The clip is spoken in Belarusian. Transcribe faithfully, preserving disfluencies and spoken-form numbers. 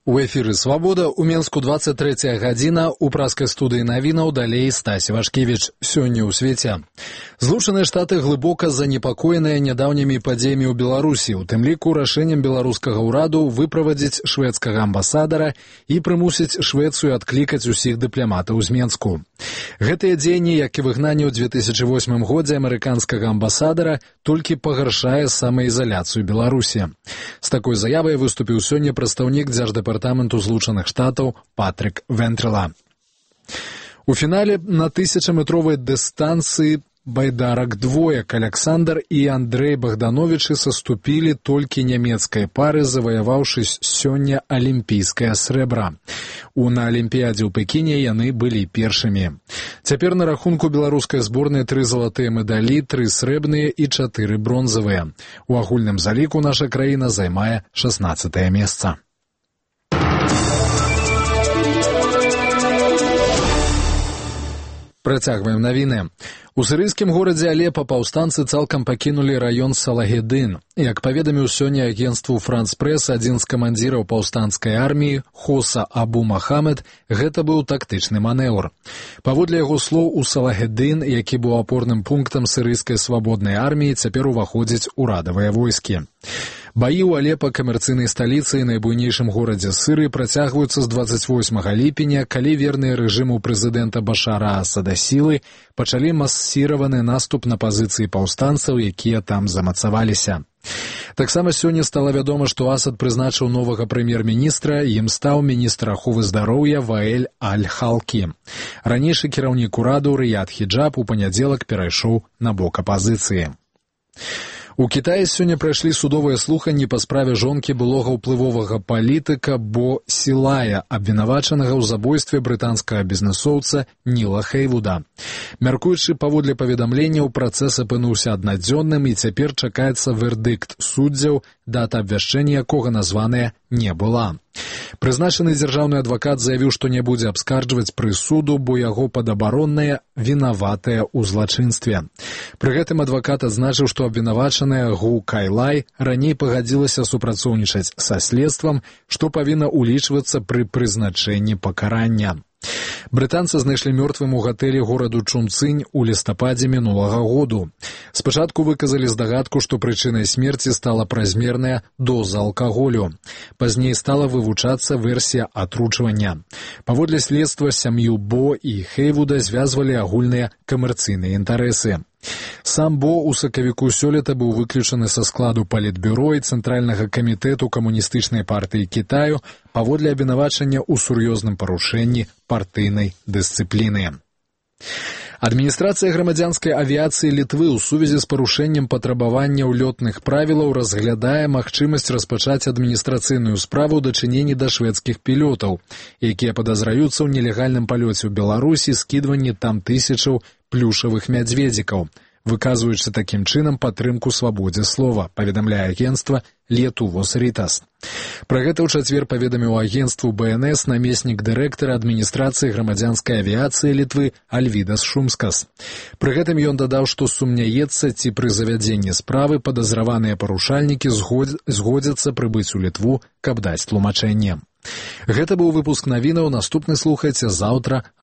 У эфіры «Свабода», у Менску двадцать третья гадзіна, у праскай студыі навінаў далей Стась Вашкевіч. Сёння ў свеце. Злучаныя Штаты глыбока занепакоеныя нядаўнімі падзеямі ў Беларусі, у тым ліку рашэннем беларускага ўраду выправадзіць шведскага амбасадара і прымусіць Швецыю адклікаць усіх дыпламатаў з Менску. Гэтыя дзеянні, як і выгнанне ў две тысячы восьмым годзе амерыканскага амбасадара, толькі пагаршае самаізаляцыю Беларусі. З такой заявай выступіў сёння прадстаўнік дзярждэпартаменту Департаменту Злучаных Штатаў Патрик Вентрела. У фінале на тысячаметровай дыстанцыі байдарак двоек Александр і Андрей Богдановичы саступілі толькі нямецкай пары, заваяваўшы сёння алімпійскае срэбра. У на Алімпіядзе ў Пекіне яны былі першымі. Цяпер на рахунку беларускай зборнай тры залатыя медалі, тры срэбныя і чатыры бронзавыя. У агульным заліку наша краіна займае шаснаццатае месца. Працягваем навіны. У сірыйскім горадзе Алепа паўстанцы цалкам пакінулі раён Салагедын. Як паведаміў сёння агенцтву Франс Прэс, адзін з камандзіраў паўстанцкай арміі, Хоса Абу Махамед, гэта быў тактычны манеўр. Паводле яго слоў, у Салагедын, які быў апорным пунктам сірыйскай свабоднай арміі, цяпер уваходзяць урадавыя войскі. Баі ў Алепа, камерцыйнай сталіцы і найбуйнейшым горадзе Сырыі, працягваюцца з дваццаць восьмага ліпеня, калі верныя рэжыму прэзідэнта Башара Асада сілы пачалі масіраваны наступ на пазіцыі паўстанцаў, якія там замацаваліся. Таксама сёння стала вядома, што Асад прызначыў новага прэм'ер-міністра, ім стаў міністр аховы здароўя Ваэль Аль-Халкі. Ранейшы кіраўнік ураду Рыяд Хіджаб у панядзелак перайшоў на бок апазіцыі. У Кітаі сёння прайшлі судовыя слуханні па справе жонкі былога ўплывовага палітыка Бо Сілая, абвінавачанага ў забойстве брытанскага бізнэсоўца Ніла Хейвуда. Мяркуючы паводле паведамленняў, працэс апынуўся аднадзённым і цяпер чакаецца вердыкт суддзяў, дата абвяшчэння якога названая не была. Прызначаны дзяржаўны адвакат заявіў, што не будзе абскарджваць прысуду, бо яго падабаронная вінаватая ў злачынстве. Пры гэтым адвакат адзначыў, што абвінавачаная Гу Кайлай раней пагадзілася супрацоўнічаць са следствам, што павінна ўлічвацца пры прызначэнні пакарання. Брытанцы знайшлі мёртвым у гатэлі гораду Чунцынь у лістападзе мінулага году. Спачатку выказалі здагадку, што прычынай смерці стала празмерная доза алкаголю. Пазней стала вывучацца версія атручвання. Паводле следства, сям'ю Бо і Хейвуда звязвалі агульныя камерцыйныя інтарэсы. Сам Бо ў сакавіку сёлета быў выключаны са складу палітбюро і Цэнтральнага камітэту камуністычнай партыі Кітаю паводле абвінавачання ў сур'ёзным парушэнні партыйнай дысцыпліны. Адміністрацыя грамадзянскай авіяцыі Літвы ў сувязі з парушэннем патрабаванняў лётных правілаў разглядае магчымасць распачаць адміністрацыйную справу ў дачыненні да шведскіх пілётаў, якія падазраюцца ў нелегальным палёце ў Беларусі, скідванні там тысячаў плюшавых мядзведзікаў, выказваючы такім чынам падтрымку свабодзе слова, паведамляе агенцтва Летувос Ритас. Пра гэта ў чацвер паведаміў агенцтву Бэ Эн Эс намеснік дырэктара адміністрацыі грамадзянскай авіяцыі Літвы Альвідас Шумскас. Пры гэтым ён дадаў, што сумняецца, ці пры завядзенні справы падазраваныя парушальнікі згодзяцца прыбыць у Літву, каб даць тлумачэнне. Гэта быў выпуск навінаў, наступны слухайце заўтра